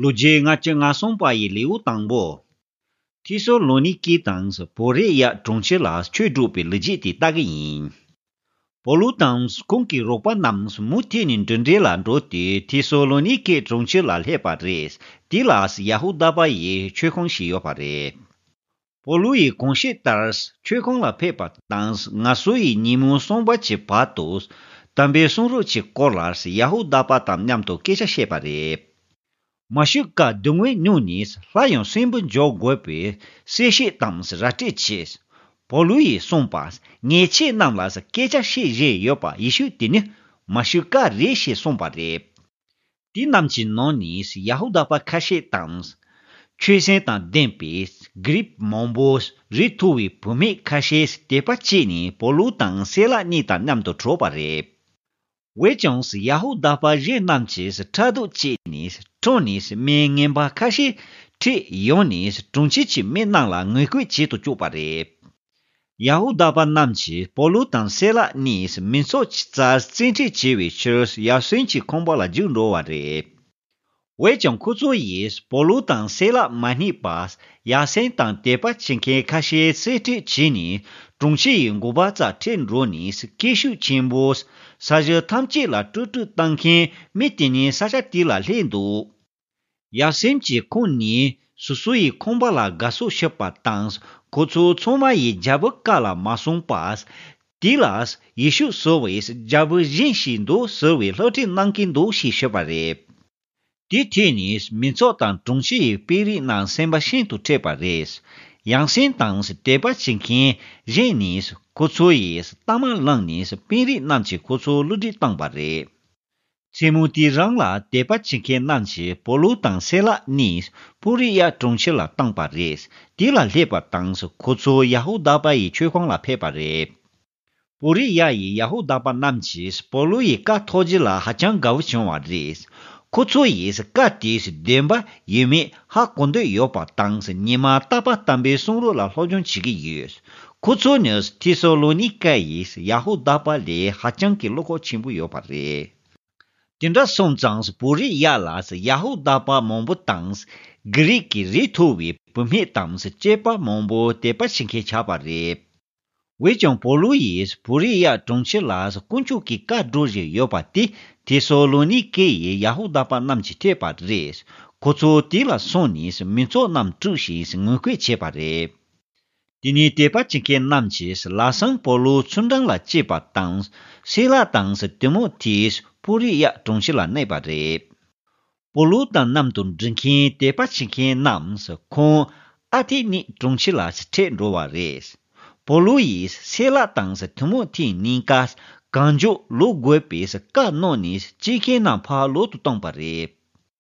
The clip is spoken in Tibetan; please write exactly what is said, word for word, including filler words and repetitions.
ལོ་རྒྱུས་ལྔ་བཅུ་ང་གསུམ་པ་ཡི་ལེའུ་དང་པོ། ཐི་སོ་ལོ་ནི་ཀེ་དང་བོ་རེ་ཡ་གྲོང་ཁྱེར་ལ་ཆོས་སྒྲུབ་པའི་ལོ་རྒྱུས་དེ་ལྟ་གི་ཡིན། པོ་ལུ་དང་ཁོང་གི་རོགས་པ་རྣམས་མུ་མཐུད་ནས་འགྲོ་འགྲུལ་ལ་འགྲོ་སྟེ་ཐི་སོ་ལོ་ནི་ཀེ་གྲོང་ཁྱེར་ལ་སླེབས་པ་རེད། དེ་ལ་ཡ་ཧུ་དཱ་པ་ཡི་ཆོས་ཁང་ཞིག་ཡོད་པ་རེད། པོ་ལུ་ཡིས་གོང་བཤད་ལྟར་ཆོས་ཁང་ལ་ཕེབས་པ་དང་ང་སོ་ཡི་ཉིན་མོ་གསུམ་པ་གྱི་བར་དུ་དམ་པའི་གསུང་རབ་ཀྱི་སྐོར་ལ་ཡ་ཧུ་དཱ་པ་དང་མཉམ་དུ་སྐད་ཆ་བཤད་པ་རེད། མ་ཤི་ཀ་སྡུག་བསྔལ་མྱོང་ནས་སླར་ཡང་གསོན་པོར་འགྱུར་དགོས་པའི་གསལ་བཤད་དང་ར་སྤྲོད་བྱས། པོ་ལུ་ཡིས་གསུངས་པ། ངས་ཁྱེད་རྣམས་ལ་སྐད་ཆ་བཤད་བཞིན་ཡོད་པ་ཡེ་ཤུ་དེ་ནི་མ་ཤི་ཀ་རེད་ཞེས་གསུངས་པ་རེད། དེ་རྣམས་ཀྱི་ནང་ནས་ཡ་ཧུ་དཱ་པ་ཁ་ཤས་དང་། ཆོས་སེམས་དང་ལྡན་པའི་གྷི་རིག་མང་པོ་རི་མཐོ་བའི་བུད་མེད་ཁ་ཤས་དད་པ་སྐྱེས་ནས་པོ་ལུ་དང་སེ་ལ་གཉིས་དང་མཉམ་དུ་འགྲོགས་པ་རེད། འོན་ཀྱང་ཡ་ཧུ་དཱ་པ་གཞན་རྣམས་ཀྱིས་ཕྲག་དོག་བྱས་ནས་ཁྲོམ་ནས་མི་ངན་པ་ཁ་ཤས་ཁྲིད་ཡོང་ནས་གྲོང་ཁྱེར་གྱི་མི་རྣམས་ལ་ངན་སྐུལ་བྱེད་དུ་བཅུག་པ་རེད། ཡ་ཧུ་དཱ་པ་རྣམས་ཀྱིས་པོ་ལུ་དང་སེ་ལ་གཉིས་མི་ཚོགས་ཀྱི་རྩར་བཙན་ཁྲིད་བྱས་པའི་ཕྱིར་ཡ་སོན་གྱི་ཁང་པ་ལ་རྒྱུགས་འགྲོ་བ་རེད། འོན་ཀྱང་ཁོ་ཚོ་ཡིས་པོ་ལུ་དང་སེ་ལ་མ་རྙེད་པར་ཡ་སོན་དང་དད་པ་བྱེད་མཁན་ཁ་ཤས་བཙན་ཁྲིད་བྱས་ནས་གྲོང་ཁྱེར་ཡི་མགོ་པ་རྩར་ཁྲིད་འགྲོ་ནས་སྐད་ཤུགས་ཆེན་པོས་ས་གཞི་ཐམས་ཅད་ལ་དཀྲུག་དཀྲུག་བཏང་མཁན་མི་དེ་ནི་ས་ཆ་དེ་ལ་སླེབས་འདུག་ཡ་སོན་གྱི་ཁོང་ནི་སོ་སོ་ཡི་ཁང་པ་ལ་དགའ་བསུ་ཞུས་པ་དང་ཁོ་ཚོ་ཚང་མ་ཡིས་རྒྱལ་པོའི་བཀའ་ལ་མ་སོང་པར། དེ་ལ་ཡེ་ཤུ་ཟེར་བའི་རྒྱལ་པོ་གཞན་ཞིག་འདུག་ཟེར་བའི་སློབ་ཁྲིད་གནང་གིན་འདུག་ཞེས་ཤོད་པ་རེད། དེ་ཐོས་ནས་མི་ཚོགས་དང་གྲོང་ཁྱེར་ཡི་དཔོན་རིགས་རྣམས་སེམས་པ་ཤིན་ཏུ་འཁྲུགས་པ་རེད། ཡང་སེམས་དང་དད་པ་བྱེད་མཁན་གཞན་ནས་ཁོ་ཚོ་ཡིས་གཏའ་མ་བླངས་ནས་དཔོན་རིགས་རྣམས་ཀྱིས་ཁོ་ཚོ་བསླུ་བྲིད་བཏང་པ་རེད། མཚན་མོ་དེ་རང་ལ་དད་པ་བྱེད་མཁན་རྣམས་ཀྱིས་པོ་ལུ་དང་སེ་ལ་གཉིས་པུ་རི་ཡ་གྲོང་ཁྱེར་ལ་བཏང་པ་རེད། དེ་ལ་སླེབས་པ་དང་ཁོ་ཚོ་ཡ་ཧུ་དཱ་པ་ཡི་ཆོས་ཁང་ལ་ཕེབས་པ་རེད། པུ་རི་ཡ་ཡི་ཡ་ཧུ་དཱ་པ་རྣམས་ཀྱིས་པོ་ལུ་ཡི་བཀའ་ཐོས་རྗེས་ལ་ཧ་ཅང་དགའ་བོ་བྱུང་བ་རེད། ཁོ་ཚོ་ཡིས་བཀའ་དེས་བདེན་པ་ཡིན་མིན་ཧ་གོ་འདོད་ཡོད་པ་དང་ཉི་མ་རྟག་པར་དམ་པའི་གསུང་རབ་ལ་སློབ་སྦྱོང་བྱེད་ཀྱི་ཡོད། ཁོ་ཚོ་ནི་ཐི་སོ་ལོ་ནི་ཀ་ཡི་ཡ་ཧུ་དཱ་པ་ལས་ཧ་ཅང་གི་བློ་ཁོག་ཆེན་པོ་ཡོད་པ་རེད། དེ་འདྲ་སོང་ཙང་པུ་རི་ཡ་ལ་ཡ་ཧུ་དཱ་པ་མང་པོ་དང་། གྷི་རིག་གི་རིགས་མཐོ་བའི་བུད་མེད་དང་སྐྱེས་པ་མང་པོ་དད་པ་བྱེད་མཁན་ཆགས་པ་རེད། འོན་ཀྱང་པོ་ལུ་ཡིས་པུ་རི་ཡ་གྲོང་ཁྱེར་ལ་དཀོན་མཆོག་གི་བཀའ་སྒྲོག་བཞིན་ཡོད་པ་དེ་ཐེ་སོ་ལོ་ནི་ཀེ་ཡི་ཡ་ཧུ་དཱ་པ་རྣམས་ཀྱིས་ཐོས་པ་རེད། ཁོ་ཚོ་དེ་ལ་སོང་ནས་མི་ཚོགས་རྣམས་དཀྲུགས་ཤིང་ངན་སྐུལ་བྱས་པ་རེད། དེ་ནས་དད་པ་བྱེད་མཁན་རྣམས་ཀྱིས་ལམ་སང་པོ་ལུ་ཚུལ་ཁྲིམས་ལ་བཅས་པ་དང་། སེ་ལ་དང་ཏི་མོ་ཐེ་པུ་རི་ཡ་གྲོང་ཁྱེར་ལ་གནས་པ་རེད། པོ་ལུ་དང་མཉམ་དུ་འགྲིག་མཁན་དད་པ་བྱེད་མཁན་རྣམས་ཁོང་ཨ་ཐེ་ནི་གྲོང་ཁྱེར་ལ་ཁྲིད་འགྲོ་བ་རེད། པོ་ལུ་ཡིས་སེ་ལ་དང་ཏི་མོ་ཐེ་གཉིས་ཀ་གང་མགྱོགས་ལོག་དགོས་པའི་བཀའ་གནང་ནས་སྐྱེལ་མཁན་རྣམས་ཕར་ལོག་ཏུ་བཏང་པ་རེད།